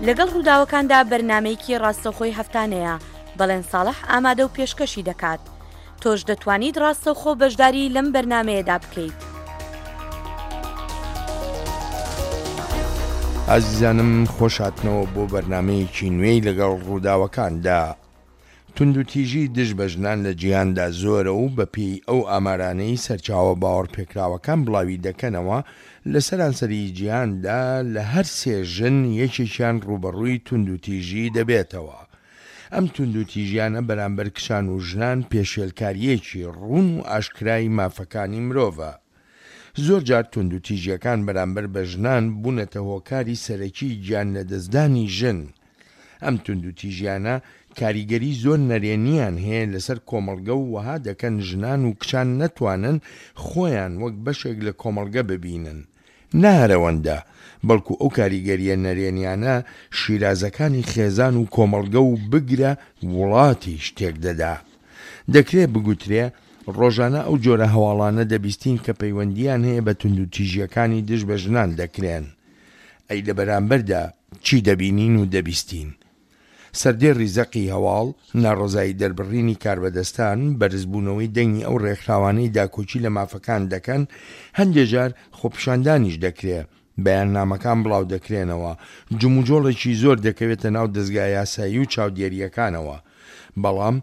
لەگەڵ ڕووداوەکاندا بەرنامەیەکی ڕاستەوخۆی هەفتانەیە، بەڵێن ساڵح ئامادە و پێشکەشی دەکات. تۆش دەتوانیت ڕاستەوخۆ بەشداری لەم بەرنامەیەدا بکەیت. ئازیزانم خۆش هاتنەوە بۆ بەرنامەیەکی نوێی لەگەڵ ڕووداوەکاندا. توندوتیژی دژ بە ژنان لە جیهاندا زۆرە و بەپێی ئەو ئامارانەی سەرچاوە باوەڕپێکراوەکان بڵاوی دەکەنەوە، لە سەرانسەری جیهاندا لە هەر سێ ژن یەکێکیان ڕووبەڕووی توندوتیژی دەبێتەوە. ئەم توندوتیژیانە بەرامبەر کچان و ژنان پێشێلکارییەکی ڕوون و ئاشکرای مافەکانی مرۆڤە. زۆرجار توندوتیژییەکان بەرامبەر بە ژنان بوونەتە هۆکاری سەرەکی گیانلەدەستدانی ژن. ئەم توندوتیژیانە کاریگەری زۆر نەرێنییان هەیە لەسەر کۆمەڵگە و وەها دەکەن ژنان و کچان نەتوانن خۆیان وەک بەشێک لە کۆمەڵگە ببینن. نە هەر ئەوەندە، بەڵکو ئەو کاریگەرییە نەرێنیانە شیرازەکانی خێزان و کۆمەڵگە و بگرە وڵاتیش تێکدەدا. دەکرێ بگوترێ ڕۆژانە ئەو جۆرە هەواڵانە دەبیستین کە پەیوەندییان هەیە بە توندوتیژییەکانی دژ بە ژنان دەکرێن. ئەی لە بەرامبەردا چی دەبینین و دەبیستین؟ سەردێڕی زەقی هەواڵ، ناڕەزایی دەربڕینی کاربەدەستان، بەرزبوونەوەی دەنگی ئەو ڕێکخراوانەی داکۆکی لە مافەکان دەکەن، هەندێ جار خۆپیشاندانیش دەکرێ، بەیاننامەکان بڵاودەکرێنەوە، جموجۆڵێکی زۆر دەکەوێتە ناو دەزگا یاسایی و چاودێرییەکانەوە. بەڵام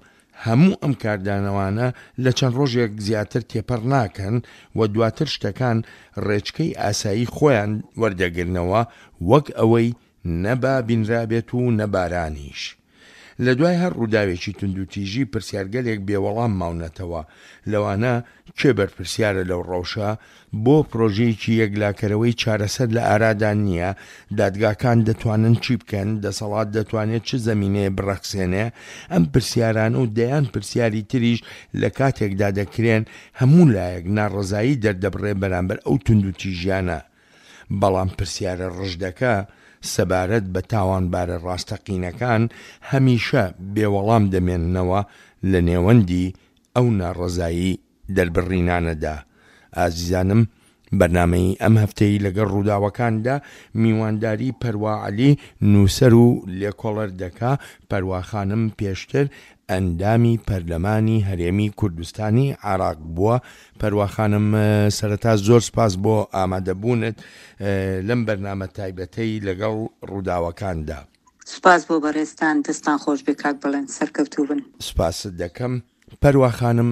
هەموو ئەم کاردانەوانە لە چەند ڕۆژێک زیاتر تێپەڕ ناکەن و دواتر شتەکان ڕێچکەی ئاسایی خۆیان وەردەگرنەوە وەک ئەوەی نە با بینرابێت و نە بارانیش. لە دوای هەر ڕووداوێکی توندوتیژی پرسیارگەلێک بێ وەڵام ماونەتەوە، لەوانە کێ بەرپرسیارە لەو ڕەوشە؟ بۆ پرۆژەیەکی یەکلاکەرەوەی چارەسەر لە ئارادا نییە؟ دادگاکان دەتوانن چی بکەن؟ دەسەڵات دەتوانێت چ زەمینەیە بڕەخسێنێ؟ ئەم پرسیارانە و دەیان پرسیاری تریش لە کاتێکدا دەکرێن هەموو لایەک ناڕەزایی دەردەبڕێ بەرامبەر ئەو توندوتیژیانە. بەڵام پرسیارە ڕژدەکە سەبارەت بە تاوانبارە ڕاستەقینەکان هەمیشە بێ وەڵام دەمێننەوە لە نێوەندی ئەو ناڕەزایی دەربڕینانەدا. ئازیزانم بەرنامەی ئەم هەفتەی لەگەڵ ڕووداوەکاندا میوانداری پەروا عەلی نووسەر و لێکۆڵەر دەکا، پەروا خانم پێشتر ئەندامی پەرلەمانی هەرێمی کوردستانی عێراق بووە. پەروا خانم سەرەتا زۆر سپاس بۆ ئامادەبوونت لەم بەرنامە تایبەتەی لەگەڵ ڕووداوەکاندا. سوپاس بۆ بەڕێزتان، دەستتان خۆش بێ کاک بەڵێن، سەرکەوتوو بن. سوپاست دەکەم. پەروا خانم،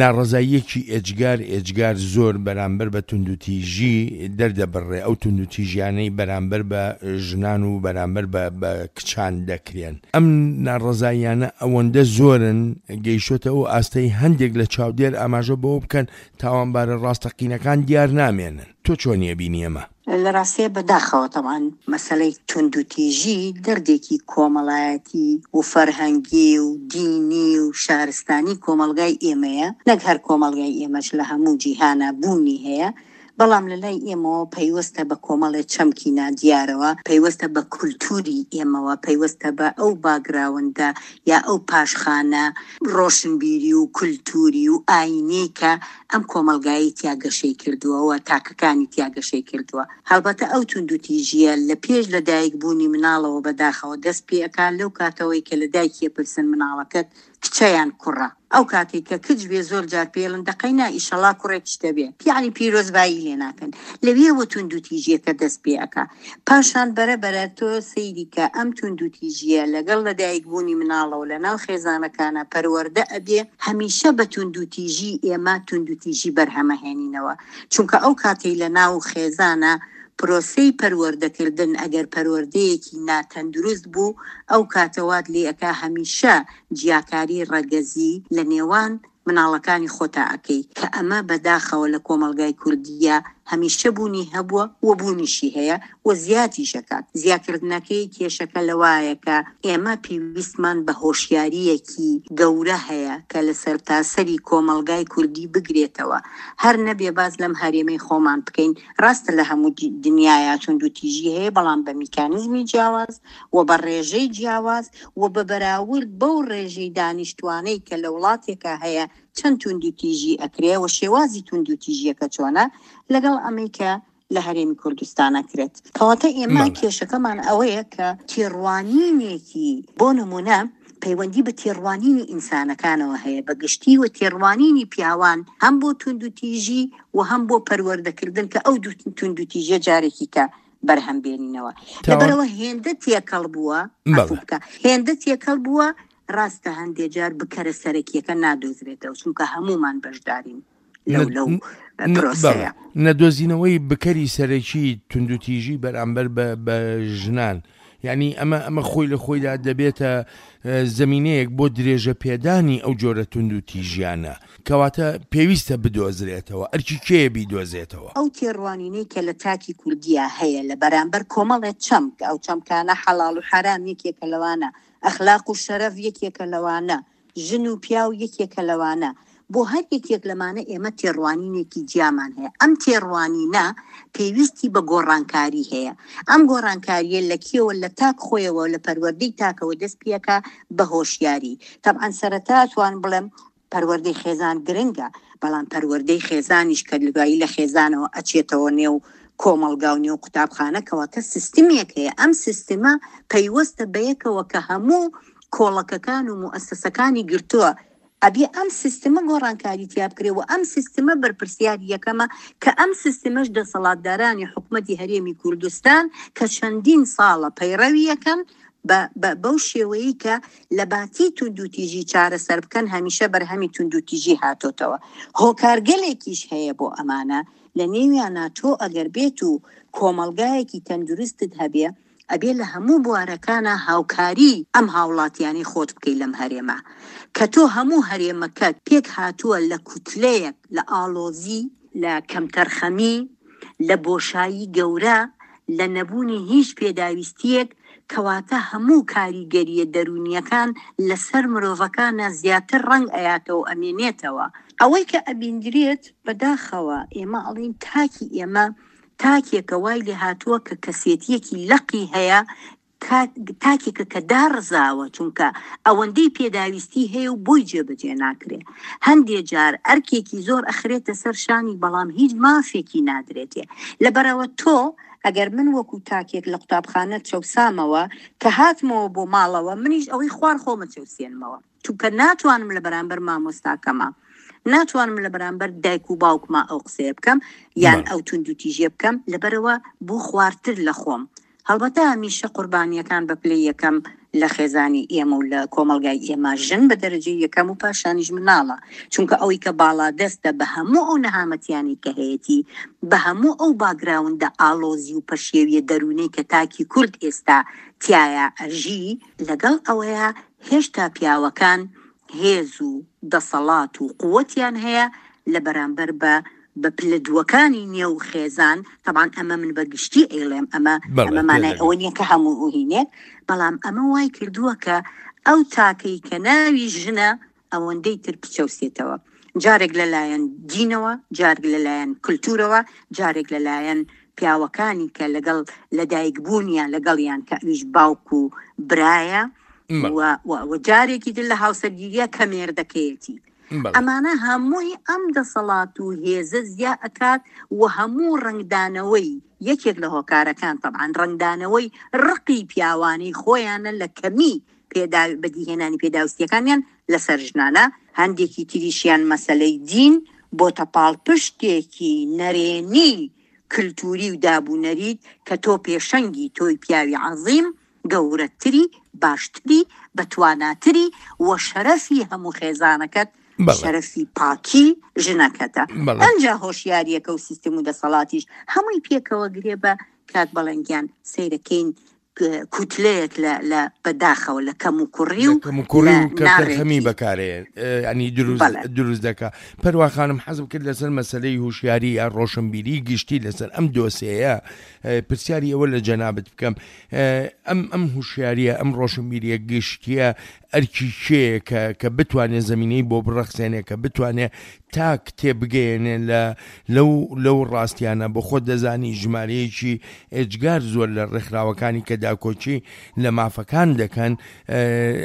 ناڕەزاییەکی ئێجگار ئێجگار زۆر بەرامبەر بە توندوتیژی دەردەبڕێ، ئەو توندوتیژیانەی بەرامبەر بە ژنان و بەرامبەر بە بە کچان دەکرێن. ئەم ناڕەزاییانە ئەوەندە زۆرن گەیشتۆتە ئەو ئاستەی هەندێک لە چاودێر ئاماژە بەوە بکەن تاوانبارە ڕاستەقینەکان دیار نامێنن. تۆ چۆنی ئەبینی ئەمە؟ لە ڕاستیا بە داخەوە تەبعەن مەسەلەی توندوتیژی دەردێکی کۆمەڵایەتی و فەرهەنگی و دینی و شارستانی کۆمەڵگای ئێمەیە، نەک هەر کۆمەڵگای ئێمەش لە هەموو جیهانا بوونی هەیە، بەڵام لە لای ئێمەوە پەیوەستە بە کۆمەڵێ چەمکی نادیارەوە، پەیوەستە بە کولتووری ئێمەوە، پەیوەستە بە ئەو باگراوندە یا ئەو پاشخانە ڕۆشنبیری و کولتووری و ئایینیەی کە ئەم کۆمەڵگایەی تیا گەشەی کردووە و تاکەکانی تیا گەشەی کردووە. هەڵبەتە ئەو توندوتیژییە لە پێش لە دایک بوونی مناڵەوە بە داخەوە دەست پێ ئەکا، لەو کاتەوەی کە لە دایکی ئەپرسن مناڵەکەت کچە یان کوڕە؟ ئەو کاتەی کە کچ بێ زۆر جار پێی ئەڵێن دەقەی نا ئیشەڵا کوڕێکیش دەبێ یەعنی پیرۆزبایی لێ ناکەن لەوێوە توندوتیژیەکە دەست پێ ئەکا پاشان بەرە بەرە تۆ سەیری کە ئەم توندوتیژیە لەگەڵ لەدایک بوونی مناڵەوە لەناو خێزانەکانا پەروەردە ئەبێ هەمیشە بە توندوتیژی ئێمە توندوتیژی بەرهەمەهێنینەوە چونکە ئەو کاتەی لەناو خێزانا پرۆسەی پەروەردەکردن ئەگەر پەروەردەیەکی ناتەندروست بوو ئەو کاتە وات لێ ئەکا هەمیشە جیاکاری ڕەگەزی لە نێوان مناڵەکانی خۆتا ئەکەی کە ئەمە بە داخەوە لە کۆمەڵگای کوردییا هەمیشە بوونی هەبووە و بوونیشی هەیە و زیادیش ئەکات. زیاکردنەکەی کێشەکە لەوایە کە ئێمە پێویستمان بە هۆشیارییەکی گەورە هەیە کە لە سەرتاسەری کۆمەڵگای کوردی بگرێتەوە هەر نەبێ باس لەم هەرێمەی خۆمان بکەین ڕاستە لە هەموو دنیایا توندوتیژی هەیە بەڵام بە میکانیزمی جیاواز و بە ڕێژەی جیاواز و بە بەراورد بەو ڕێژەی دانیشتوانەی کە لە وڵاتێکا هەیە چەند توندوتیژی ئەکرێ و شێوازی توندوتیژیەکە چۆنە لەگەڵ ئەمەی کە. لە هەرێمی کوردستان ئەکرێت. کەواتە ئێمە کێشەکەمان ئەوەیە کە تێڕوانینێکی بۆ نمونە پەیوەندی بە تێڕوانینی ئینسانەکانەوە هەیە بە گشتی و تێڕوانینی پیاوان هەم بۆ توندوتیژی و هەم بۆ پەروەردەکردن کە ئەو دوو توندوتیژیە جارێکی کە بەرهەم بێنینەوە. لەبەرئەوە هێندە تێکەڵ بووە، عەفو بکە، هێندە تێکەڵ بووە ڕاستە هەندێ جار بکەرە سەرەکیەکە نادۆزرێتەوە چونکە هەموومان بەشدارین لەو لەو پرۆسەیە. نەدۆزینەوەی بکەری سەرەکی توندوتیژی بەرامبەر بە ژنان یعنی ئەمە ئەمە خۆی لە خۆیدا دەبێتە زمینەیەک بۆ درێژە پێدانی ئەو جۆرە توندوتیژیانە کەواتە پێویستە بدۆزرێتەوە ئەرکی کێیە بیدۆزێتەوە؟ ئەو تێڕوانینەی کە لە تاکی کوردیا هەیە لە بەرامبەر کۆمەڵێ چەمک، ئەو چەمکانە حەڵاڵ و حەرام یەکێکە لەوانە، ئەخلاق و شەرەف یەکێکە لەوانە، ژن و پیاو یەکێکە لەوانە، بۆ هەر یەکێک لەمانە ئێمە تێڕوانینێکی جیامان هەیە، ئەم تێڕوانینە پێویستی بە گۆڕانکاری هەیە، ئەم گۆڕانکارییە لە کێوە لە تاک خۆیەوە لە پەروەردەی تاکەوە دەست پێکا بە هۆشیاری، تەبعەن سەرەتا ئەتوانم بڵێم پەروەردەی خێزان گرنگە، بەڵام پەروەردەی خێزانیش کە دوایی لە خێزانەوە ئەچێتەوە نێو کۆمەڵگا و نێو قوتابخانە کەواتە سیستمێک هەیە ئەم سیستمە پەیوەستە بەیەکەوە کە هەموو کۆڵەکەکان و موئەسەسەکانی گرتووە ئەبێ ئەم سیستمە گۆڕانکاری تیا بکرێ و ئەم سیستمە بەرپرسیاری یەکەمە کە ئەم سیستمەش دەسەڵاتدارانی حکومەتی هەرێمی کوردستان کە چەندین ساڵە پەیڕەوی یەکەن بە بە بەو شێوەیەی کە لە باتی توندوتیژی چارەسەر بکەن هەمیشە بەرهەمی توندوتیژی هاتۆتەوە. هۆکارگەلێکیش هەیە بۆ ئەمانە لە نێویانا تۆ ئەگەر بێت و کۆمەڵگایەکی تەندروستت هەبێ ئەبێ لە هەموو بوارەکانا هاوکاری ئەم هاوڵاتیانەی خۆت بکەی لەم هەرێمە کە تۆ هەموو هەرێمەکەت پێک هاتووە لە کوتلەیەک لە ئاڵۆزی لە کەمتەرخەمی، لە بۆشایی گەورە، لە نەبوونی هیچ پێداویستییەک، کەواتە هەموو کاریگەرییە دەروونییەکان لەسەر مرۆڤەکانە زیاتر ڕەنگ ئەیاتەوە و ئەمێنێتەوە. ئەوەی کە ئەبیندرێت بەداخەوە ئێمە ئەڵێین تاکی ئێمە تاکێکە وای لێهاتووە کە کەسێتییەکی لەقی هەیە تاکێکە کە داڕزاوە چونکە ئەوەندەی پێداویستی هەیە و بۆی جێبەجێ ناکرێ هەندێ جار ئەرکێکی زۆر ئەخرێتە سەر شانی بەڵام هیچ مافێکی نادرێتێ لەبەرئەوە تۆ ئەگەر من وەکو تاکێک لە قوتابخانە چەوسامەوە کە هاتمەوە بۆ ماڵەوە منیش ئەوەی خوار خۆمە چەوسێنمەوە چونکە ناتوانم لە بەرامبەر مامۆستاکەما ناتوانم لە بەرامبەر دایک و باوکما ئەو قسەیە بکەم یان ئەو توندوتیژیە بکەم لەبەرەوە بۆ خوارتر لە خۆم هەڵبەتە هەمیشە قوربانیەکان بە پلەی یەکەم لە خێزانی ئێمە و لە کۆمەڵگای ئێمە ژن بە دەرەجەی یەکەم و پاشانیش مناڵە چونکە ئەوەی کە باڵادەستە بە هەموو ئەو نەهامەتیانەی کە هەیەتی بە هەموو ئەو باگراوندە ئاڵۆزی و پەشێویە دەروونەی کە تاکی کورد ئێستا تیایا ئەژی لەگەڵ ئەوەیا هێشتا پیاوەکان هێز و دەسەڵات و قوتیان هەیە لە بەرامبەر بە بە پلە دووەکانی نێو خێزان، تەبعەن ئەمە من بە گشتی ئەیڵێم ئەمە ئەمە مانای ئەوە نییە کە هەموو هینێک، بەڵام ئەمە وای کردووە کە ئەو تاکەی کە ناوی ژنە ئەوەندەی تر بچەوسێتەوە جارێک لەلایەن دینەوە جارێک لەلایەن کلتورەوە جارێک لەلایەن پیاوەکانی کە لەگەڵ لەدایک بوونیان لەگەڵیان کە ئەویش باوک و برایە و جارێکی تر لە هاوسەرگیریە کە مێردەکەیەتی ئەمانە هەمووی ئەم دەسەڵات و هێزە زیا ئەکات و هەموو ڕەنگدانەوەی یەکێک لە هۆکارەکان تەبعەن ڕەنگدانەوەی ڕقی پیاوانەی خۆیانە لە کەمی پێدا بەدیهێنانی پێداویستیەکانیان لەسەر ژنانە، هەندێکی تریشیان مەسەلەی دین بۆتە پاڵپشتێکی نەرێنی کلتوری و دابونەریت کە تۆ پێشەنگی تۆی پیاوی عەزیم گەورەتری باشتری بەتواناتری و شەرەفی هەموو خێزانەکەت شەرەفی پاکی ژنەکەتە ئەنجا هۆشیاریەکە و سیستم و دەسەڵاتیش هەمووی پێکەوە گرێ بە کاک بەڵێن گیان سەیرەکەین کوتلەیەک لە لە بەداخەوە لە کەم و کوڕی و کەموکوڕی و کەمتەرخەمی بەکارێ ینی دروست دروست دەکا پەروا خانم حەزم کرد لەسەر مەسلەی هوشیاری یا ڕۆشنبیری گشتی لەسەر ئەم دۆسێیە پرسیاری ئەوە لە جەنابت بکەم ئەم ئەم هوشیاریە ئەم ڕۆشنبیریە گشتیە ئەرکی کێیە کە کە بتوانێ زەمینەی بۆ بڕەخسێنێ کە بتوانێ تاک تێبگەیەنێ لە لەو لەو ڕاستیانە بۆ خۆت دەزانی ژمارەیەکی ئێجگار زۆر لە ڕێکخراوەکانی کە. داکۆکی لە مافەکان دەکەن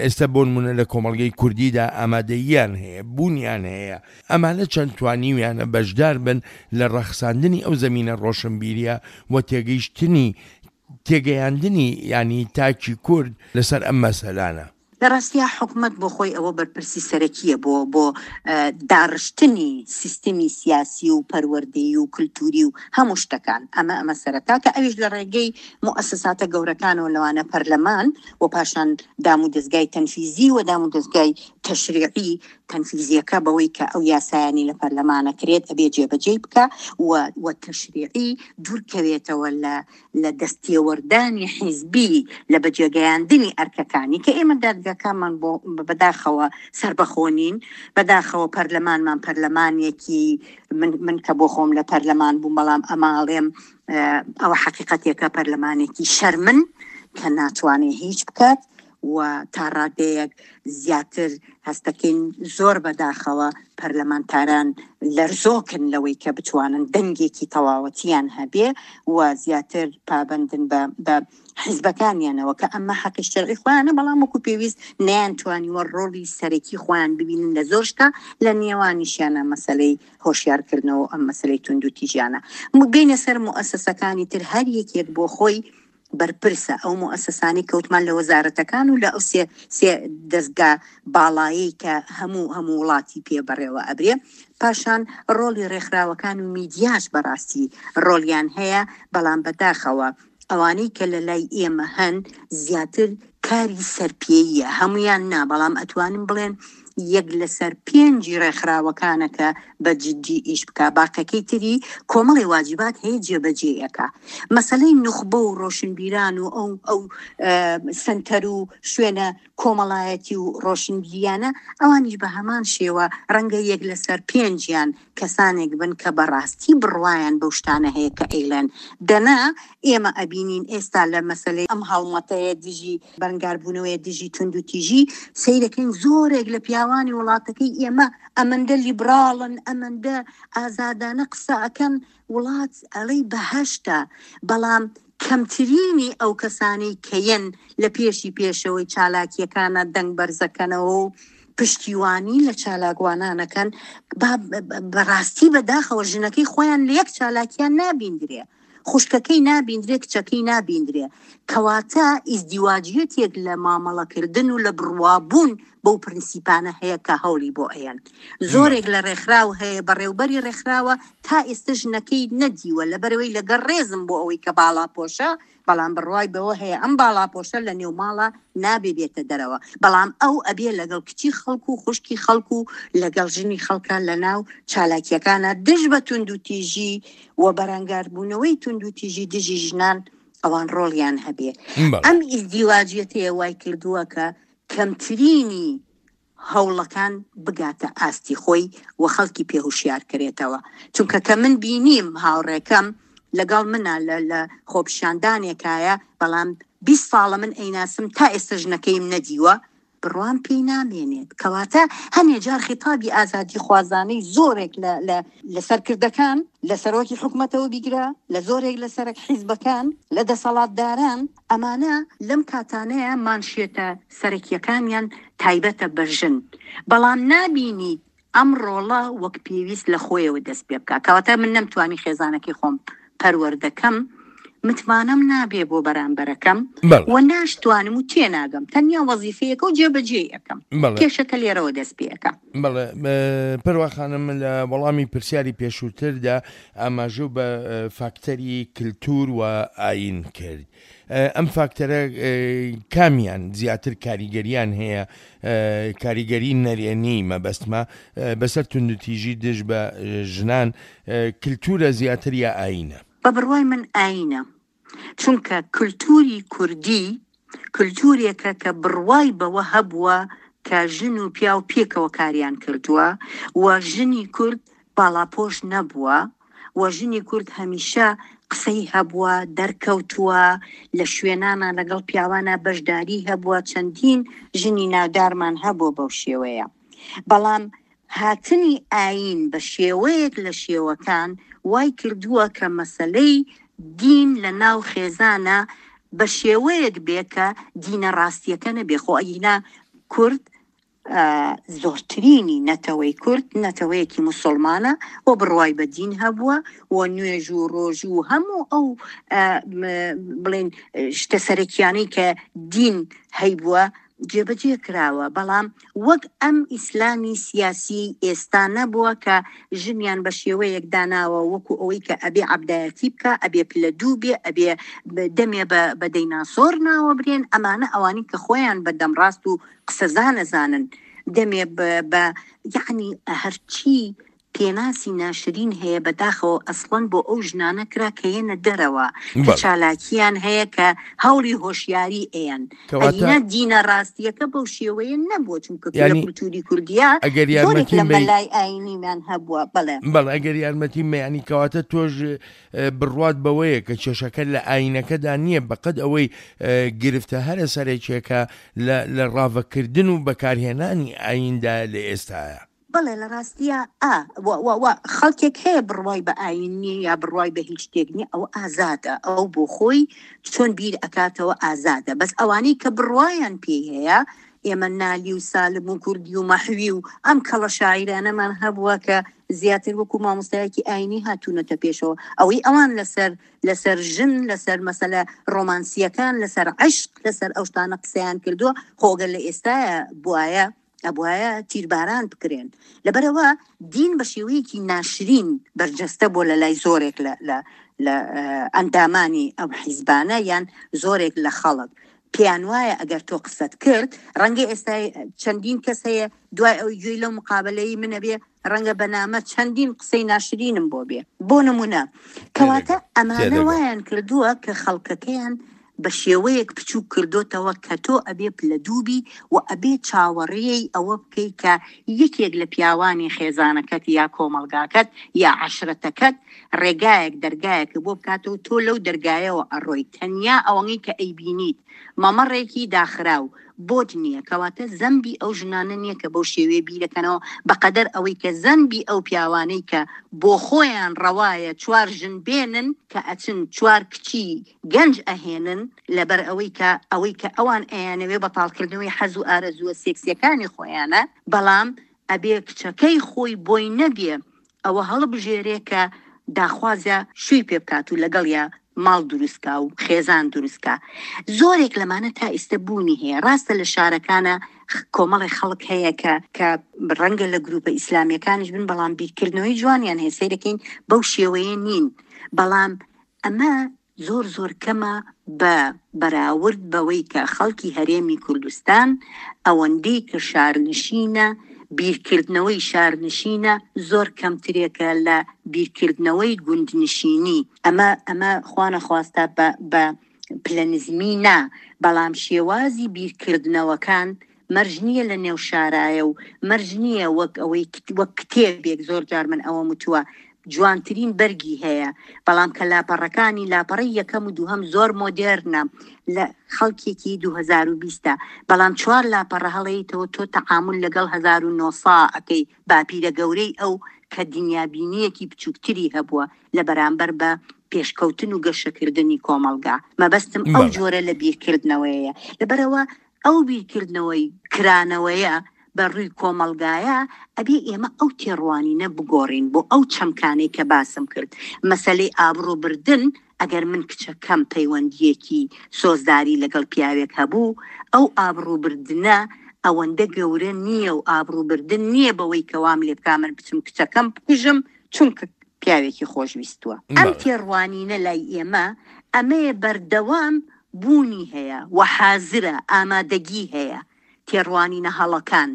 ئێستا بۆ نمونە لە کۆمەڵگەی کوردیدا ئامادەییان هەیە بوونیان هەیە ئەمانە چەند توانیویانە بەشدار بن لە ڕەخساندنی ئەو زەمینە ڕۆشنبیریە و تێگەیشتنی تێگەیاندنی یانی تاکی کورد لەسەر ئەم مەسەلانە. لە ڕاستیا حکومەت بۆ خۆی ئەوە بەرپرسی سەرەکیە بۆ بۆ داڕشتنی سیستمی سیاسی و پەروەردەیی و کلتوری و هەموو شتەکان ئەمە ئەمە سەرەتا کە ئەویش لە ڕێگەی موئەسەساتە گەورەکانەوە لەوانە پەرلەمان و پاشان دام و دەزگای تەنفیزی و دام و دەزگای تەشریعی تەنفیزیەکە بەوەی کە ئەو یاسایانی لە پەرلەمانە کرێت ئەبێ جێبەجێی بکا و و تەشریعی دوورکەوێتەوە لە لە دەستێوەردانی حیزبی لە بەجێگەیاندنی ئەرکەکانی کە ئێمە دادگاکانمان بۆ بەداخەوە سەربەخۆ نین بەداخەوە پەرلەمانمان پەرلەمانێکی من من کە بۆ خۆم لە پەرلەمان بووم بەڵام ئەماڵێم ئەوە حەقیقەتێکە پەرلەمانێکی شەرمن کە ناتوانێت هیچ بکات و تا ڕادەیەک زیاتر هەستەکەین زۆر بەداخەوە پەرلەمانتاران لەرزۆکن لەوەی کە بتوانن دەنگێکی تەواوەتیان هەبێ و زیاتر پابەندن بە بە حیزبەکانیانەوە کە ئەمە حەقی شەرعی خۆیانە بەڵام وەکو پێویست نەیانتوانیوە ڕۆڵی سەرەکی خۆیان ببینن لە زۆر شتا لە نێوانیشیانە مەسەلەی هۆشیارکردنەوە ئەم مەسەلەی توندوتیژیانە بینە سەر موئەسەسەکانی تر هەر یەکێک بۆ خۆی بەرپرسە ئەو موئەسەسانەی کەوتمان لە وەزارەتەکان و لە ئەو سێ سێ دەزگا باڵایەی کە هەموو هەموو وڵاتی پێ بەڕێوە ئەبرێ پاشان ڕۆڵی ڕێکخراوەکان و میدیاش بەڕاستی ڕۆڵیان هەیە بەڵام بەداخەوە ئەوانەی کە لە لای ئێمە هەن زیاتر کاری سەرپێییە هەموویان نا بەڵام ئەتوانم بڵێن یەک لەسەر پێنجی ڕێکخراوەکانە کە بە جدی ئیش بکا باقەکەی تری کۆمەڵی واجبات هەیە جێبەجێ ئەکا مەسەلەی نوخبە و ڕۆشنبیران و ئەو ئەو سەنتەر و شوێنە کۆمەڵایەتی و ڕۆشنبیریانە ئەوانیش بە هەمان شێوە ڕەنگە یەک لەسەر پێنجیان کەسانێک بن کە بەڕاستی بڕوایان بەو شتانە هەیە کە ئەیڵێن دەنا ئێمە ئەبینین ئێستا لە مەسەلەی ئەم هەڵمەتەیە دژی بەرەنگاربوونەوەیە دژی توندوتیژی سەیرەکەین زۆرێک لە پیاوانی وڵاتەکەی ئێمە ئەمەندە لیبراڵن ئەمەندە ئازادانە قسە ئەکەن وڵات ئەڵێی بەهەشتە بەڵام کەمترینی ئەو کەسانەی کە یەن لە پێشی پێشەوەی چالاکییەکانە دەنگ بەرزەکەنەوە و پشتیوانی لە چالاکوانان ئەکەن با بەڕاستی بەداخەوە ژنەکەی خۆیان لە یەک چالاکیان نابیندرێ خوشکەکەی نابیندرێ کچەکەی نابیندرێ کەواتە ئیزدیواجیەتێک لە مامەڵەکردن و لە بڕوابوون بەو پرنسیپانە هەیە کە هەوڵی بۆ ئەیەن. زۆرێک لە ڕێکخراو هەیە بەڕێوبەری ڕێکخراوە تا ئێستە ژنەکەی نەدیوە لەبەرئەوەی لەگەڵ ڕێزم بۆ ئەوەی کە باڵاپۆشە بەڵام بڕوای بەوە هەیە ئەم باڵاپۆشە لە نێو ماڵا نابێ بێتە دەرەوە بەڵام ئەو ئەبێ لەگەڵ کچی خەڵک و خوشکی خەڵک و لەگەڵ ژنی خەڵکا لەناو چالاکیەکانا دژ بە توندوتیژی و بەرەنگاربوونەوەی توندوتیژی دژی ژنان ئەوان ڕۆڵیان هەبێ ئەم ئیزدیواجیەتەیە وای کردووە کە کەمترینی هەوڵەکان بگاتە ئاستی خۆی و خەڵکی پێ هوشیار کرێتەوە چونکە کە من بینیم هاوڕێکەم لەگەڵ منە لە لە خۆپیشاندانێکایە بەڵام 20 ساڵە من ئەیناسم تا ئێستا ژنەکەیم نەدیوە بڕوام پێی نامێنێت کەواتە هەنێ جار خیتابی ئازادیخوازانەی زۆرێک لە لە لە سەرکردەکان لە سەرۆکی حکومەتەوە بیگرە لە زۆرێک لە سەرەک حیزبەکان لە دەسەڵاتداران ئەمانە لەم کاتانەیە مانشێتە سەرەکیەکانیان تایبەتە بە ژن، بەڵام نابینیت ئەم ڕۆڵە وەک پێویست لە خۆیەوە دەست پێ بکات، کەواتە من نەمتوانی خێزانەکەی خۆم پەروەردە کەم، متمانەم نابێ بۆ بەرامبەرەکەم و ناشتوانم و تێناگەم، تەنیا وەزیفەیەکە و جێبەجێی ئەکەم، کێشەکە لێرەوە دەست پێ ئەکا. بەڵێ پەروا خانم لە وەڵامی پرسیاری پێشووتردا ئاماژەو بە فاکتەری کلتور و ئایین کرد. ئەم فاکتەرە کامیان زیاتر کاریگەریان هەیە کاریگەری نەرێنی مەبەستمە بەسەر توندوتیژی دژ بە ژنان کلتورە زیاتر یا ئایینە؟ بە بڕوای من ئایینە چونکە کلتوری کوردی کلتورێکە کە بڕوای بەوە هەبووە کە ژن و پیاو پێکەوە کاریان کردووە و ژنی کورد باڵاپۆش نەبووە و ژنی کورد هەمیشە قسەی هەبووە، دەرکەوتووە، لە شوێنانا لەگەڵ پیاوانا بەشداری هەبووە، چەندین ژنی ناودارمان هەبووە بەو شێوەیە. بەڵام هاتنی ئایین بە شێوەیەک لە شێوەکان وای کردووە کە مەسەلەی دین لە ناو خێزانا. بە شێوەیەک بێ کە دینە ڕاستیەکە نەبێ خۆ ئەگینا کورد زۆرترینی نەتەوەی کورد نەتەوەیەکی موسوڵمانە و بڕوای بە دین هەبووە و نوێژ و ڕۆژوو و هەموو ئەو بڵێن شتە سەرەکیانەی کە دین هەیبووە جێبەجێ کراوە، بەڵام وەک ئەم ئیسلامی سیاسی ئێستا نەبووە کە ژنیان بە شێوەیەک داناوە وەکو ئەوەی کە ئەبێ عەبدایەتی بکا، ئەبێ پلە دوو بێ، ئەبێ دەمێ بە دەیناسۆر ناوە برێن، ئەمانە ئەوانەی کە خۆیان بە دەمڕاست و قسەزان ئەزانن دەمێ بە یەعنی هەرچی پێناسی ناشرین هەیە بەداخەوە ئەسڵەن بۆ ئەو ژنانە کرا کە یەنە دەرەوە کە بەڵێ. چالاکیان هەیە کە هەوڵی هۆشیاری ئەیەن کەواتە ئەگینا دینە ڕاستیەکە بەو شێوەیە نەبووە چونکە لە یانی کولتوری کوردیا ئەگەر زۆرێک یارمەتیم لە بەی مەلای ئاینیمان هەبووە بەڵێ. بەڵێ ئەگەر یارمەتیم بەی یانی کەواتە تۆش بڕوات بەوەیە کە کێشەکە لە ئاینەکەدا نییە بەقەد ئەوەی گرفتە هەرە سەرەکیەکە لە لە ڕاڤەکردن و بەکارهێنانی ئایندایە لە ئێستایا. بەڵێ لە ڕاستیا ئا و و و خەڵکێک هەیە بڕوای بە ئایین نییە یا بڕوای بە هیچ شتێک نییە ئەوە ئازادە ئەو بۆ خۆی چۆن بیر ئەکاتەوە ئازادە بەس ئەوانەی کە بڕوایان پێی هەیە ئێمە نالی و سالم و کوردی و مەحوی و ئەم کەڵە شاعیرانەمان هەبووە کە زیاتر وەکو مامۆستایەکی ئاینی هاتوونەتە پێشەوە ئەوەی ئەوان لەسەر لەسەر ژن لەسەر مەسەلە ڕۆمانسیەکان لەسەر عشق لەسەر ئەو شتانە قسەیان کردووە خۆ گەر لە ئێستایا بوایە ئەبوایە تیرباران بکرێن لەبەرئەوە دین بە شێوەیەکی ناشرین بەرجەستە بووە لە لای زۆرێک لە لە لە ئەندامانی ئەو حیزبانە یان زۆرێک لە خەڵک پێیان وایە ئەگەر تۆ قسەت کرد ڕەنگە ئێستا چەندین کەس هەیە دوای ئەوی گوێی لەو مقابلەی منە بێ ڕەنگە بە نامە چەندین قسەی ناشرینم بۆ بێ بۆ نمونە کەواتە تێدەگەم ئەمانە تێدەگەم. وایان کردووە کە خەڵکەکەیان بە شێوەیەک بچووک کردۆتەوە کە تۆ ئەبێ پلە دوو بی و ئەبێ چاوەڕێی ئەوە بکەی کە یەکێک لە پیاوانی خێزانەکەت یا کۆمەڵگاکەت یا عەشرەتەکەت ڕێگایەک دەرگایەکت بۆ بکاتەوە تۆ لەو دەرگایەوە ئەڕۆی تەنیا ئەوەنەی کە ئەیبینیت مەمەڕێکی داخراو بۆت نییە کەواتە زەنبی ئەو ژنانە نییە کە بەو شێوەیە بیرەکەنەوە بەقەدەر ئەوەی کە زەنبی ئەو پیاوانەی کە بۆخۆیان ڕەوایە چوار ژن بێنن کە ئەچن چوار کچی گەنج ئەهێنن لەبەر ئەوەی کە ئەوەی کە ئەوان ئەیانەوێ بەتاڵکردنەوەی حەز و ئارەزووە سێکسیەکانی خۆیانە بەڵام ئەبێ کچەکەی خۆی بۆی نەبێ ئەوە هەڵبژێرێ کە داخوازە شووی پێ بکات و لەگەڵیا ماڵ دروست کا و خێزان دروست کا زۆرێک لەمانە تا ئیستە بوونی هەیە ڕاستە لە شارەکانە کۆمەڵێ خەڵک هەیە کە کە ڕەنگە لە گروپە ئیسلامیەکانیش بن بەڵام بیرکردنەوەی جوانیان هەیە سەیرەکەین بەو شێوەیە نین بەڵام ئەمە زۆر زۆر کەمە بە بەراورد بەوەی کە خەڵکی هەرێمی کوردستان ئەوەندەی کە شارنشینە بیرکردنەوەی شارنشینە زۆر کەمترێکە لە بیرکردنەوەی گوندنشینی ئەمە ئەمە خوانەخواستە بە بە پلە نزمی نا بەڵام شێوازی بیرکردنەوەکان مەرج نییە لە نێو شارایە و مەرج نییە وەک ئەوەی وەک کتێبێک زۆر جار من ئەوەم وتووە جوانترین بەرگی هەیە بەڵام کە لاپەڕەکانی لاپەڕەی یەکەم و دووهەم زۆر مۆدێرنە لە خەڵکێکی 2020 بەڵام چوار لاپەڕە هەڵەیتەوە تۆ تەعامول لەگەڵ 1900 ئەکەی باپیرە گەورەی ئەو کە دنیابینیەکی بچووکتری هەبووە لە بەرامبەر بە پێشکەوتن و گەشەکردنی کۆمەڵگا مەبەستم ئەو جۆرە لە بیرکردنەوەیە لەبەرەوە ئەو بیرکردنەوەی کرانەوەیە بە ڕووی کۆمەڵگایە، ئەبێ ئێمە ئەو تێڕوانینە بگۆڕین بۆ ئەو چەمکانەی کە باسم کرد. مەسەلەی ئابڕوو بردن، ئەگەر من کچەکەم پەیوەندییەکی سۆزداری لەگەڵ پیاوێک هەبوو، ئەو ئابڕوو بردنە ئەوەندە گەورە نییە و ئابڕوو بردن نییە بەوەی کە وام لێ بکا من بچم کچەکەم بکوژم چونکە پیاوێکی خۆشویستووە. ئەم تێڕوانینە لای ئێمە ئەمەیە بەردەوام بوونی هەیە و حازرە، ئامادەگی هەیە، تێڕوانینە هەڵەکان،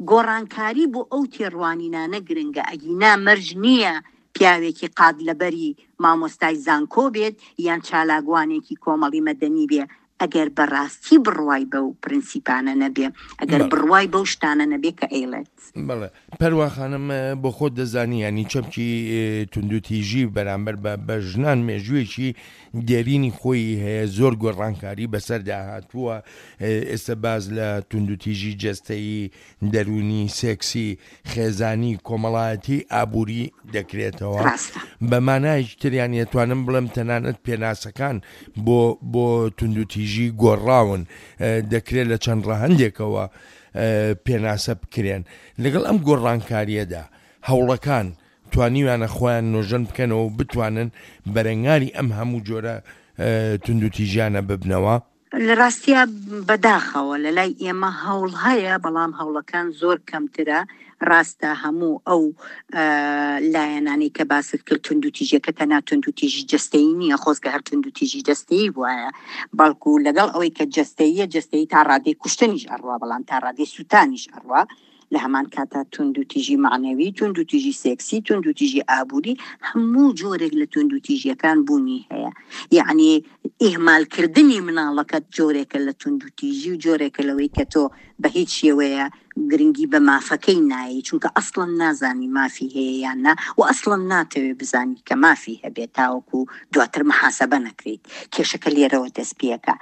گۆڕانکاری بۆ ئەو تێڕوانینانە گرنگە، ئەگینا مەرج نییە پیاوێکی قات لەبەری مامۆستای زانکۆ بێت یان چالاکوانێکی کۆمەڵی مەدەنی بێ. ئەگەر بەڕاستی بڕوای بەو پرنسیپانە نەبێ، ئەگەر بڕوای بەو شتانە نەبێ کە ئەیڵێت. بەڵێ پەروا خانم بۆ خۆت دەزانی یانی چەمکی توندوتیژی بەرامبەر بە بە ژنان مێژوویەکی دێرینی خۆی هەیە زۆر گۆڕانکاری بەسەردا هاتووە ئێستا باس لە توندوتیژی جەستەیی دەروونی، سێکسی، خێزانی، کۆمەڵایەتی، ئابووری دەکرێتەوە. ڕاستە. بە مانایەکی تر یانی ئەتوانم بڵێم تەنانەت پێناسەکان بۆ بۆ توندوتیژی گۆڕاون، دەکرێت لە چەند ڕەهەندێکەوە پێناسە بکرێن. لەگەڵ ئەم گۆڕانکارییەدا هەوڵەکان توانیویانە خۆیان نۆژەن بکەنەوە و بتوانن بەرەنگاری ئەم هەموو جۆرە توندوتیژیانە ببنەوە؟ لە ڕاستیا بەداخەوە لە لای ئێمە هەوڵ هەیە بەڵام هەوڵەکان زۆر کەمترە، ڕاستە هەموو ئەو لایەنانەی کە باست کرد توندوتیژیەکە تەنها توندوتیژی جەستەیی نییە خۆزگە هەر توندوتیژی جەستەیی بوایە بەڵکو لەگەڵ ئەوەی کە جەستەییە جەستەیی تا ڕادەی کوشتنیش ئەڕوا بەڵام تا ڕادەی سوتانیش ئەڕوا لە هەمان کاتا توندوتیژی مەعنەوی، توندوتیژی سێکسی، توندوتیژی ئابووری، هەموو جۆرێک لە توندوتیژیەکان بوونی هەیە. یەعنی ئیهمالکردنی مناڵەکەت جۆرێکە لە توندوتیژی و جۆرێکە لەوەی کە تۆ بە هیچ شێوەیە گرنگی بە مافەکەی نایەی چونکە ئەسڵەن نازانی مافی هەیە یان نا و ئەسڵەن ناتەوێ بزانی کە مافی هەبێت تاوەکو دواتر محاسبە نەکرێیت. کێشەکە لێرەوە دەست پێکا.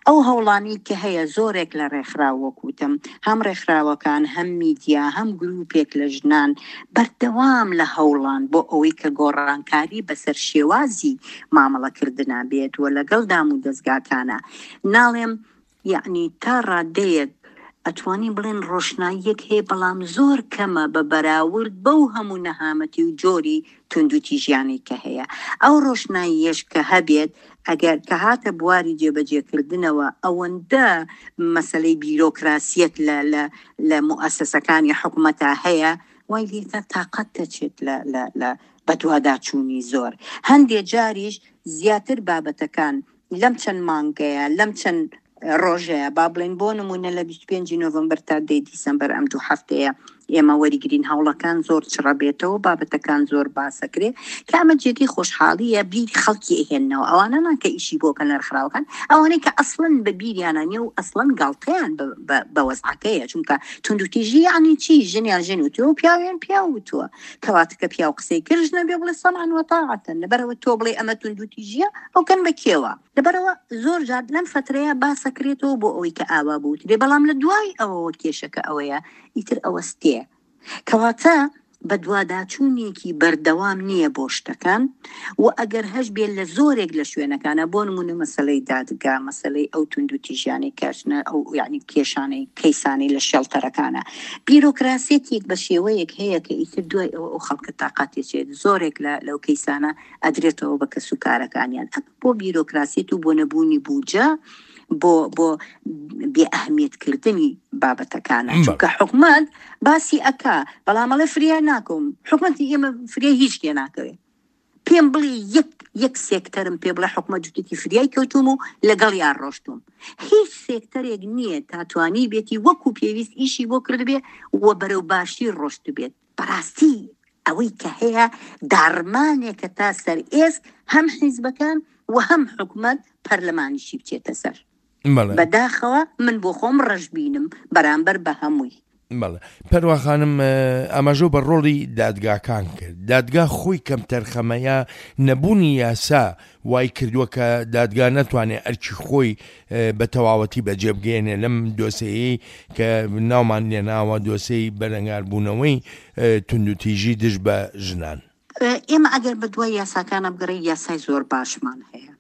ئەو هەوڵانەی کە هەیە زۆرێک لە ڕێکخراو وەک وتم هەم ڕێکخراوەکان هەم میدیا هەم گروپێک لە ژنان بەردەوام لە هەوڵان بۆ ئەوەی کە گۆڕانکاری بەسەر شێوازی مامەڵەکردنا بێت و لەگەڵ دام و دەزگاکانا ناڵێم یەعنی تا ڕادەیەک ئەتوانین بڵێن ڕۆشناییەک هەیە بەڵام زۆر کەمە بە بەراورد بەو هەموو نەهامەتی و جۆری توندوتیژیانەی کە هەیە. ئەو ڕۆشناییەش کە هەبێت ئەگەر کە هاتە بواری جێبەجێکردنەوە ئەوەندە مەسەلەی بیرۆکراسیەت لە لە لە موئەسەسەکانی حکومەتا هەیە وای لێکا تاقەت دەچێت لە لە لە بەدواداچوونی زۆر. هەندێ جاریش زیاتر بابەتەکان لەم چەند مانگەیە، لەم چەند ڕۆژەیە، با بڵێین بۆ نموونە لە 25 ی نۆڤەمبەر تا دەی دیسەمبەر ئەم دوو هەفتەیە ئێمە وەریگرین هەوڵەکان زۆر چڕە بێتەوە بابەتەکان زۆر باسەکرێ کە ئەمە جێگەی خۆشحاڵیە بیری خەڵکی ئەهێننەوە ئەوانە نا کە ئیشی بۆ کەن لە ڕێکخراوەکان ئەوانەی کە ئەسڵەن بە بیریانە نیە و ئەسڵەن گاڵتەیان بە وەزعەکەیە چونکە توندوتیژی یعنی چی ژنیان ژن وتووە و پیاویان پیاو وتووە کەواتە کە پیاو قسەی کرد ژنە بێ بڵێ سەمعا وەتاعەتەن لەبەرئەوە تۆ بڵێ ئەمە توندوتیژیە ئەو کەن بە کێوە لەبەرئەوە زۆر جار لەم فەترەیە باسەکرێتەوە بۆ ئەوەی کە ئاوا بوترێ بەڵام لە دوای ئەوەوە کێشەکە ئەوەیە ئیتر ئەوەستێ کەواتە بەدواداچوونێکی بەردەوام نییە بۆ شتەکان و ئەگەر هەش بێ لە زۆرێک لە شوێنەکانە بۆ نمونە مەسەلەی دادگا مەسەلەی ئەو توندوتیژیانەی کەشنە ئەو یعنی کێشانەی کەیسانەی لە شێڵتەرەکانە بیرۆکراسیەتێک بە شێوەیەک هەیە کە ئیتر دوای ئەوە ئەو خەڵکە تاقاتی چێت زۆرێک لە لەو کەیسانە ئەدرێتەوە بە کەس و کارەکانیان ئەمە بۆ بیرۆکراسیەت و بۆ نەبوونی بوجە بۆ بۆ بێ ئەهمیەت کردنی بابەتەکانە چونکە حکومەت باسی ئەکا بەڵام ئەڵێ فریا ناکەوم حکومەتی ئێمە فریای هیچ لێ ناکەوێ پێم بڵێ یەک یەک سێکتەرم پێ بڵێ حکومەت جوتێکی فریای کەوتوم و لەگەڵ یان ڕۆشتوم هیچ سێکتەرێک نییە تا توانی بێتی وەکو پێویست ئیشی بۆ کردبێ و بەرەو باشی ڕۆشتبێت بەڕاستی ئەوەی کە هەیە داڕمانێکە تا سەر ئێسک هەم حیزبەکان و هەم حکومەت پەرلەمانیشی بچێتە سەر. بەداخەوە من بۆ خۆم ڕەشبینم بەرامبەر بە هەمووی. بەڵێ پەروا خانم ئاماژەو بە ڕۆڵی دادگاکان کرد دادگا خۆی کەمتەرخەمە یا نەبوونی یاسا وای کردووە کە دادگا نەتوانێت ئەرکی خۆی بە تەواوەتی بەجێ بگەیەنێ لەم دۆسێیەی کە ناومان لێناوە دۆسێی بەرەنگاربوونەوەی توندوتیژی دژ بە ژنان. ئێمە ئەگەر بە دوای یاساکانە بگەڕێین یاسای زۆر باشمان هەیە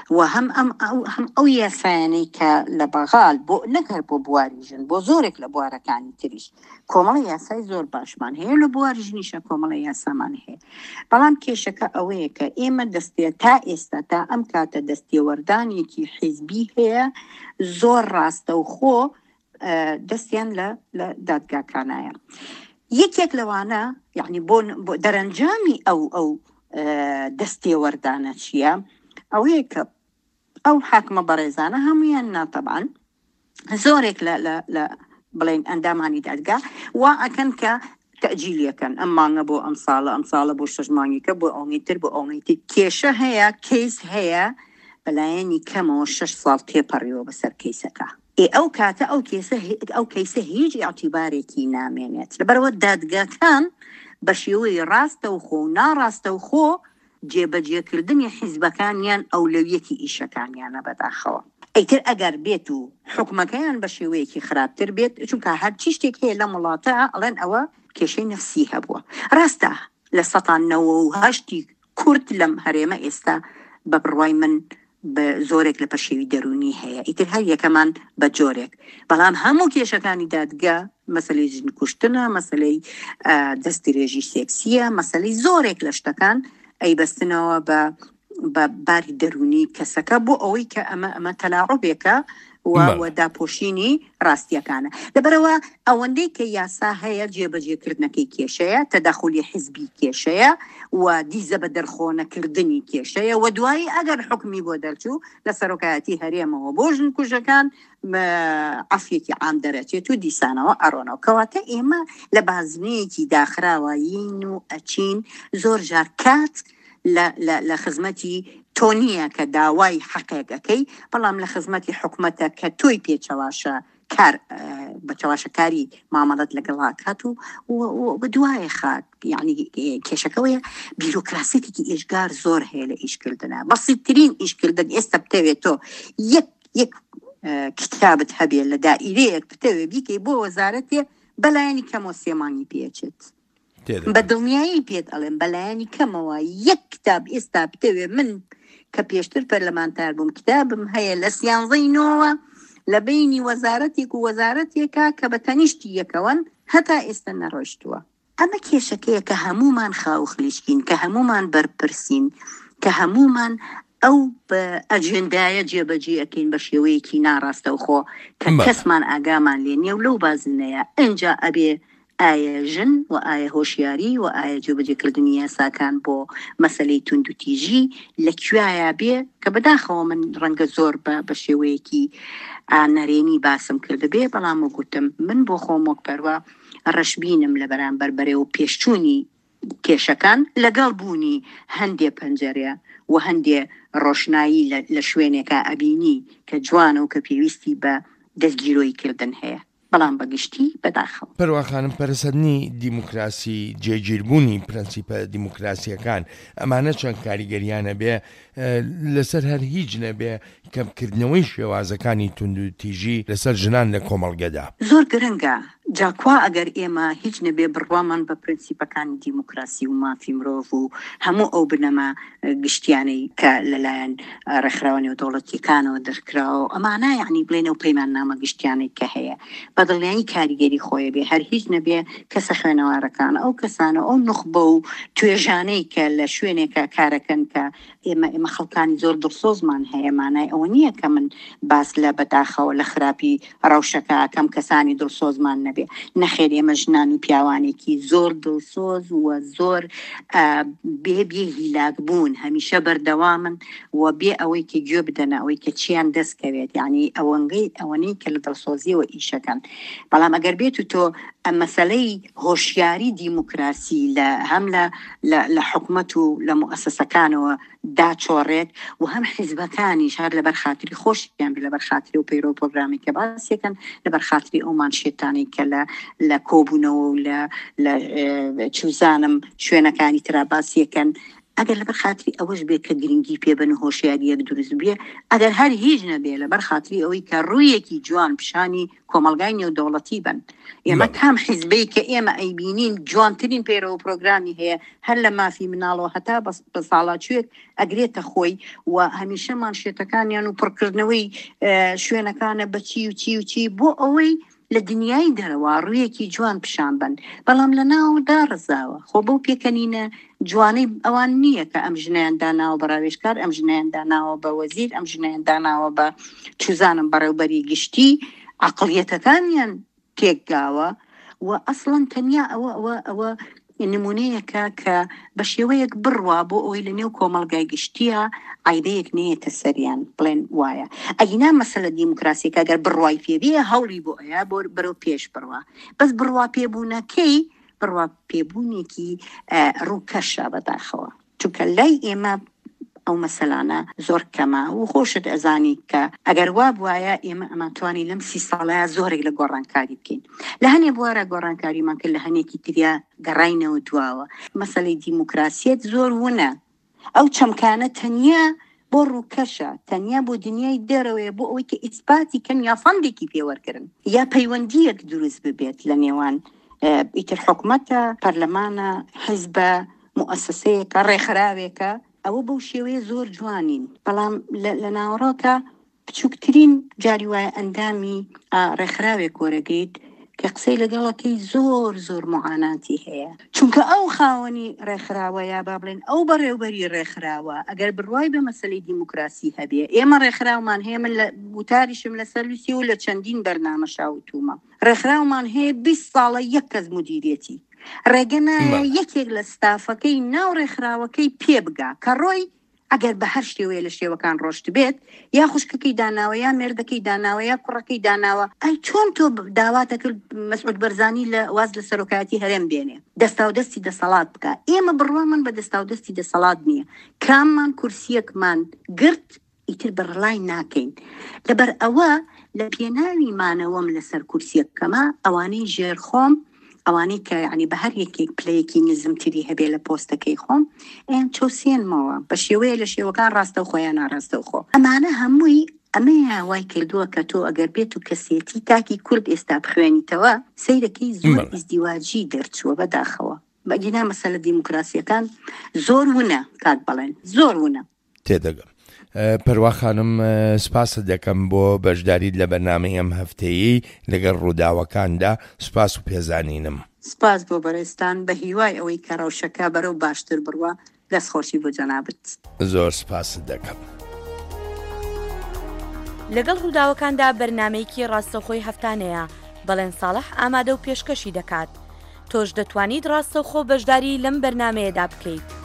و هەم ئەم هەم ئەو یاسایانەی کە لە بەغال بۆ نەک هەر بۆ بواری ژن بۆ زۆرێک لە بوارەکانی تریش کۆمەڵە یاسای زۆر باشمان هەیە لە بواری ژنیشە کۆمەڵە یاسامان هەیە بەڵام کێشەکە ئەوەیە کە ئێمە دەستێ تا ئێستا تا ئەم کاتە دەستێوەردانێکی حیزبی هەیە زۆر ڕاستەوخۆ دەستیان لە لە دادگاکانایە یەکێک لەوانە یعنی بۆ دەرەنجامی ئەو ئەو دەستێوەردانە چییە؟ ئەوەیە کە ئەو حاکمە بەڕێزانە هەموویان نا تەبعەن زۆرێک لە لە لە بڵێن ئەندامانی دادگا وا ئەکەن کە تەجیلیەکەن ئەم مانگە بۆ ئەم ساڵە ئەم ساڵە بۆ شەش مانگیکە بۆ ئەوەی تر بۆ ئەوەی تر کێشە هەیە کەیس هەیە. بەلایەنی کەمەوە شەش ساڵ تێپەڕیوە بەسەر کەیسەکە. ئێ ئەو کاتە ئەو کێسە ئەو کەیسە هیچ ئیعتیبارێکی نامێنێت. لەبەرئەوە دادگاکان بە شێوەی ڕاستەوخۆ و ناڕاستەوخۆ جێبەجێکردنی حیزبەکانیان ئەولەویەتی ئیشەکانیانە بەداخەوە. ئیتر ئەگەر بێت و حوکمەکەیان بە شێوەیەکی خراپتر بێت، چونکە هەرچی شتێک هەیە لەم وڵاتە ئەڵێن ئەوە کێشەی نەفسی هەبووە. ڕاستە لە سەتا نەوە و هەشتی کورد لەم هەرێمە ئێستا بە بڕوای من بە زۆرێک لە پەشێوی دەروونی هەیە ئیتر هەر یەکەمان بە جۆرێک بەڵام هەموو کێشەکانی دادگا مەسەلەی ژن کوشتنە مەسەلەی دەست درێژی سێکسیە مەسەلەی زۆرێک لە شتەکان ئەیبەستنەوە بە بە باری دەروونی کەسەکە بۆ ئەوەی کە ئەمە ئەمە تەلاعوبێکە و داپۆشینی ڕاستیەکانە لەبەرئەوە ئەوەندەی کە یاسا هەیە جێبەجێکردنەکەی کێشەیە تەداخولی حزبی کێشەیە و دیزە بە دەرخۆنەکردنی کێشەیە و دوایی ئەگەر حکمی بۆ دەرچوو لە سەرۆکایەتی هەرێمەوە بۆ ژن کوژەکان عەفوێکی عام دەرەچێت و دیسانەوە ئەڕۆنەوە کەواتە ئێمە لە بازنەیەکی داخراوەین و ئەچین زۆر جار کات لە لە لە خزمەتی تۆ نییە کە داوای حەقێک ئەکەی بەڵام لە خزمەتی حکومەتە کە تۆی پێ چەواشە کار بە چەواشەکاری مامەڵەت لەگەڵ ئەکات و و دوایە خات یعنی کێشەکەوەیە بیرۆکراسیتێکی ئێجگار زۆر هەیە لە ئیشکردنە بەسیترین ئیشکردن ئێستا بتەوێت تۆ یەک یەک کتابت هەبێ لە دائیرەیەک بتەوێ بیکەی بۆ وەزارەتێ بەلایەنی کەمەوە سێ مانگی پێچێت بە دڵنیایی پێت ئەڵێم بەلایەنی کەمەوە یەک کتاب ئێستا بتەوێ من کە پێشتر پەرلەمانتار بووم کتابم هەیە لە سیانزەی نۆوە لە بەینی وەزارەتێک و وەزارەتێکە کە بە تەنیشتی یەکەوەن هەتا ئێستا نەڕۆیشتووە. ئەمە کێشەکەیە کە هەموومان خاوخلیچکین، کە هەموومان بەرپرسین، کە هەموومان ئەو ئەجێندایە جێبەجێ ئەکەین بە شێوەیەکی ناڕاستەوخۆ کە کەسمان ئاگامان لێ نییە و لەو بازنەیە ئینجا ئەبێ ئایا ژن و ئایا هۆشیاری و ئایا جێبەجێکردنی یاساکان بۆ مەسەلەی توندوتیژی لە کوێیا بێ کە بەداخەوە من ڕەنگە زۆر بە بە شێوەیەکی نەرێنی باسم کردبێ بەڵام وەک گوتم من بۆ خۆم وەک پەروا ڕەشبینم لە بەرامبەر بەرەو پێشچوونی کێشەکان لەگەڵ بوونی هەندێ پەنجەرە و هەندێ ڕۆشنایی لە شوێنێکا ئەبینی کە جوانە و کە پێویستی بە دەستگیرۆیی کردن هەیە. بەڵام بە گشتی بەداخەوە. پەروا خانم پەرەسەندنی دیموکراسی، جێگیربوونی پرەنسیپە دیموکراسییەکان، ئەمانە چەند کاریگەرییان ئەبێ لەسەر هەر هیچ نەبێ کەمکردنەوەی شێوازەکانی توندوتیژی لەسەر ژنان لە کۆمەڵگەدا؟ زۆر گرنگە، جا کوا ئەگەر ئێمە هیچ نەبێ بڕوامان بە پرەنسیپەکانی دیموکراسی و مافی مرۆڤ و هەموو ئەو بنەما گشتیانەی کە لەلایەن ڕێکخراوە نێودەوڵەتیەکانەوە دەرکراوە و ئەمانە یەعنی بڵێن ئەو پەیماننامە گشتیانەی کە هەیە بە دڵنیایی کاریگەری خۆی بێ هەر هیچ نەبێ کەسە خوێنەوارەکان ئەو کەسانە ئەو نوخبە و توێژانەی کە لە شوێنێکە کارەکەن کە ئێمە ئێمە خەڵکانی زۆر دڵسۆزمان هەیە مانای ئەوە نییە کە من باس لە بەداخەوە لە خراپی ڕەوشەکە ئەکەم کەسانی دڵسۆزمان نەبێ نەخێر ئێمە ژنان و پیاوانێکی زۆر دڵسۆز و زۆر بێ بێ هیلاک بوون هەمیشە بەردەوامن و بێ ئەوەی کە گوێ بدەنە ئەوەی کە چیان دەست کەوێت یعنی ئەوەنگەی ئەوەنەی کە لە دڵسۆزیەوە ئیشەکەن بەڵام ئەگەر بێت و تۆ مەسەلەی هۆشیاری دیموکراسی لە هەم لە لە حکومەت و لە موئەسەسەکانەوە داچۆڕێت و هەم حیزبەکانیش هەر لەبەر خاتری خۆشیان بێ لەبەر خاتری ئەو پەیرەو پرۆگرامی کە باسیەکەن لەبەر خاتری ئەو مانشێتانەی کە لە لە کۆبوونەوە و لە لە چوزانم شوێنەکانی ترا باسیەکەن ئەگەر لەبەر خاتری ئەوەش بێ کە گرنگی پێ بن و هۆشیاریەک دروست بێ ئەگەر هەر هیچ نەبێ لەبەر خاتری ئەوەی کە ڕوویەکی جوان پیشانی کۆمەڵگای نێودەوڵەتی بن ئێمە کام حیزبەی کە ئێمە ئەیبینین جوانترین پەیرەوە پرۆگرامی هەیە هەر لە مافی مناڵەوە هەتا بە ساڵاچوێک ئەگرێتە خۆی و هەمیشە مانشێتەکانیان و پڕکردنەوەی شوێنەکانە بە چی و چی و چی بۆ ئەوەی لە دنیای دەرەوە ڕوویەکی جوان پیشان بن بەڵام لە ناودا ڕزاوە خۆ بەو پێکەنینە جوانەی ئەوان نییە کە ئەم ژنەیان داناوە بە ڕاوێژکار، ئەم ژنەیان داناوە بە وەزیر، ئەم ژنەیان داناوە بە چوزانم بەڕێوبەری گشتی، عەقڵیەتەکانیان تێکداوە و ئەسڵەن تەنیا ئەوە ئەوە ئەوە نمونەیەکە کە بە شێوەیەک بڕوا بۆ ئەوەی لە نێو کۆمەڵگای گشتیە عیبەیەک نەیەتە سەریان بڵێن وایە ئەگینا مەسەلە دیموکراسیەکە گەر بڕوای پێ بێ هەوڵی بۆ ئەیا بۆ بەرەو پێش بڕوا بەس بڕوا پێبوونەکەی بڕوا پێبوونێکی ڕووکەشە بەداخەوە چونکە لای ئێمە ئەو مەسەلانە زۆر کەمە و خۆشت ئەزانی کە ئەگەر وا بوایە ئێمە ئەمانتوانی لەم سی ساڵەیا زۆرێک لە گۆڕانکاری بکەین. لە هەنێ بوارا گۆڕانکاریمان کرد لە هەنێکی تریا گەڕاینەوە دواوە. مەسەلەی دیموکراسیەت زۆر ونە. ئەو چەمکانە تەنیا بۆ ڕووکەشە، تەنیا بۆ دنیای دەرەوەیە بۆ ئەوەی کە ئیسپاتی کەن یا فەندێکی پێ وەرگرن یا پەیوەندییەک دروست ببێت لە نێوان ئیتر حکومەتە، پەرلەمانە، حیزبە، موئەسەسەیەکە، ڕێکخراوێکە، ئەوە بەو شێوەیە زۆر جوانین، بەڵام لە ناوەڕۆکا بچووکترین جاری وایە ئەندامی ڕێکخراوێک وەرەگریت کە قسەی لەگەڵەکەی زۆر زۆر معاناتی هەیە چونکە ئەو خاوەنی ڕێکخراوە یا با بڵێن ئەو بەڕێوبەری ڕێکخراوە ئەگەر بڕوای بە مەسەلەی دیموکراسی هەبێ ئێمە ڕێکخراومان هەیە من لە وتاریشم لەسەر نووسی و لە چەندین بەرنامەشا وتوومە ڕێکخراومان هەیە 20 ساڵە یەک کەس مدیرێتی ڕێگە نایە یەکێک لە ستافەکەی ناو ڕێکخراوەکەی پێ بگا کە ڕۆی ئەگەر بە هەر شێوەیە لە شێوەکان ڕۆشتبێت، یا خوشکەکەی داناوە، یا مێردەکەی داناوە، یا کوڕەکەی داناوە، ئەی چۆن تۆ داوات ئەکرد مەسعود بەرزانی لە واز لە سەرۆکایەتی هەرێم بێنێ، دەستاودەستی دەسەڵات بکا؟ ئێمە بڕوامان بە دەستاودەستی دەسەڵات نییە، کاممان کورسییەکمان گرت ئیتر بەڕەلای ناکەین، لەبەر ئەوە لە پێناوی مانەوەم لەسەر کورسییەکەما ئەوانەی ژێر خۆم ئەوانەی کە یانی بە هەر یەکێک پلەیەکی نزمتری هەبێ لە پۆستەکەی خۆم ئەیان چەوسێنمەوە بە شێوەیە لە شێوەکان ڕاستەوخۆ یا ناڕاستەوخۆ ئەمانە هەمووی ئەمەیە وای کردووە کە تۆ ئەگەر بێت و کەسێتی تاکی کورد ئێستا بخوێنیتەوە سەیرەکەی زۆر ئیزدیواجی دەرچووە بەداخەوە بەگینا مەسەلە دیموکراسیەکان زۆر ونە کاک بەڵێن زۆر ونە. تێدەگەم. پەروا خانم سپاست دەکەم بۆ بەشداریت لە بەرنامەی ئەم هەفتەیەی لەگەڵ ڕووداوەکاندا، سپاس و پێزانینم. سپاس بۆ بەڕێزتان، بە هیوای ئەوەی کە ڕەوشەکە بەرەو باشتر بڕوا، دەست خۆشی بۆ جەنابت. زۆر سپاست دەکەم. لەگەڵ ڕووداوەکاندا بەرنامەیەکی ڕاستەوخۆی هەفتانەیە، بەڵێن ساڵح ئامادە و پێشکەشی دەکات. تۆش دەتوانیت ڕاستەوخۆ بەشداری لەم بەرنامەیەدا بکەیت.